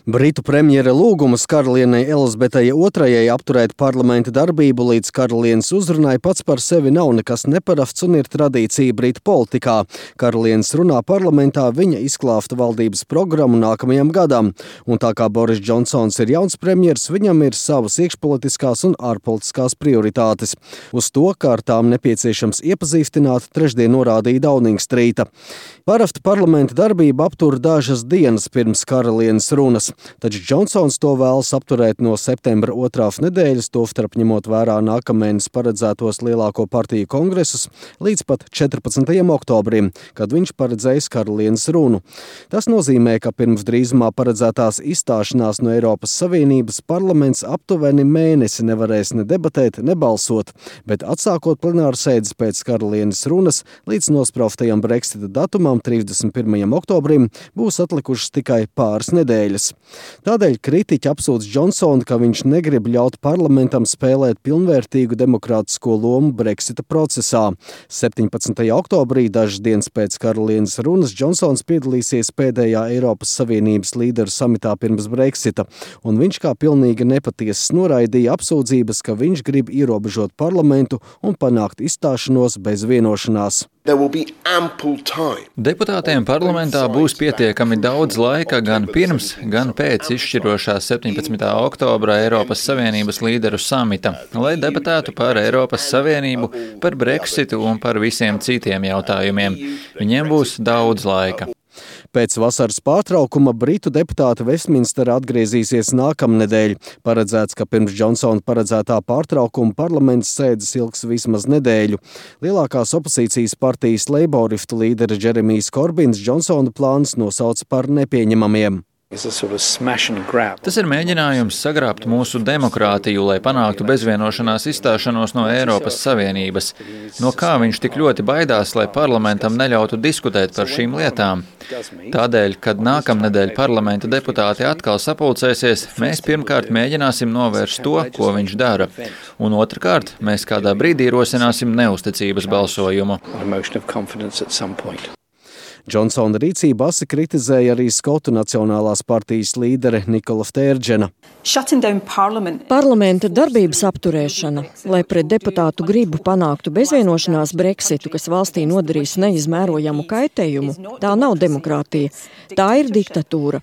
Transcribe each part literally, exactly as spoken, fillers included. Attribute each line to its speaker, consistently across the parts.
Speaker 1: Britu premjera lūgums karalienei Elizabetei otrajai apturēt parlamenta darbību līdz karalienes uzrunai pats par sevi nav nekas neparasts un ir tradīcija Britu politikā. Karalienes runā parlamentā viņa izklāfta valdības programmu nākamajam gadam, un tā kā Boris Džonsons ir jauns premjers, viņam ir savas iekšpolitiskās un ārpolitiskās prioritātes. Uz to, kā ar tām nepieciešams iepazīstināt, trešdien norādīja Downing Streeta. Parasti parlamenta darbība aptur dažas dienas pirms karalienes runas. Taču Džonsons to vēlas apturēt no septembra otrās nedēļas, tostarp ņemot vērā nākamēnes paredzētos lielāko partiju kongresus, līdz pat četrpadsmitajam oktobrim, kad viņš paredzējis karalienes runu. Tas nozīmē, ka pirms drīzumā paredzētās izstāšanās no Eiropas Savienības parlaments aptuveni mēnesi nevarēs ne debatēt, ne balsot, bet atsākot plenāru sēdes pēc karalienes runas līdz nospraustajam Brexita datumam trīsdesmit pirmajam oktobrim būs atlikušas tikai pāris nedēļas. Tādēļ kritiķi apsūdz Džonsonu, ka viņš negrib ļaut parlamentam spēlēt pilnvērtīgu demokrātisko lomu Brexita procesā. septiņpadsmitajā oktobrī, dažas dienas pēc karalienes runas, Džonsons piedalīsies pēdējā Eiropas Savienības līderu samitā pirms Brexita, un viņš kā pilnīgi nepatiesas noraidīja apsūdzības, ka viņš grib ierobežot parlamentu un panākt izstāšanos bez vienošanās.
Speaker 2: Deputātiem parlamentā būs pietiekami daudz laika gan pirms, gan pēc izšķirošā septiņpadsmitā oktobra Eiropas Savienības līderu samita, lai debatētu par Eiropas Savienību, par Brexitu un par visiem citiem jautājumiem. Viņiem būs daudz laika.
Speaker 1: Pēc vasaras pārtraukuma Britu deputāti Vestminsterā atgriezīsies nākamnedēļ. Paredzēts, ka pirms Džonsona paredzētā pārtraukuma parlaments sēdes ilgs vismaz nedēļu. Lielākās opozīcijas partijas leiboristu līderis Džeremijs Korbins Džonsona plānus nosauca par nepieņemamiem.
Speaker 2: Tas ir mēģinājums sagrābt mūsu demokrātiju, lai panāktu bezvienošanās izstāšanos no Eiropas Savienības. No kā viņš tik ļoti baidās, lai parlamentam neļautu diskutēt par šīm lietām? Tādēļ, kad nākamnedēļ parlamenta deputāti atkal sapulcēsies, mēs pirmkārt mēģināsim novērst to, ko viņš dara. Un otrkārt, mēs kādā brīdī rosināsim neusticības balsojumu.
Speaker 1: Džonsona rīcību asi kritizēja arī Skotu Nacionālās partijas līdere Nikola Stērdžena.
Speaker 3: Parlamenta darbības apturēšana, lai pret deputātu gribu panāktu bezvienošanās Brexitu, kas valstī nodarīs neizmērojamu kaitējumu, tā nav demokrātija, tā ir diktatūra.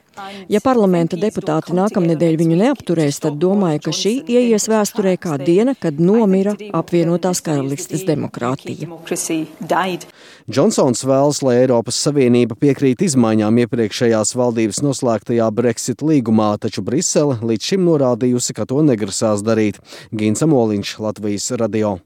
Speaker 3: Ja parlamenta deputāti nākamnedēļ viņu neapturēs, tad domāju, ka šī ieies vēsturē kā diena, kad nomira apvienotās karalistes demokrātija.
Speaker 1: Džonsons vēlas, lai Eiropas Savienība piekrīt izmaiņām iepriekšējās valdības noslēgtajā Brexit līgumā, taču Brisele līdz šim norādījusi, ka to negrasās darīt. Gins Amoliņš, Latvijas radio.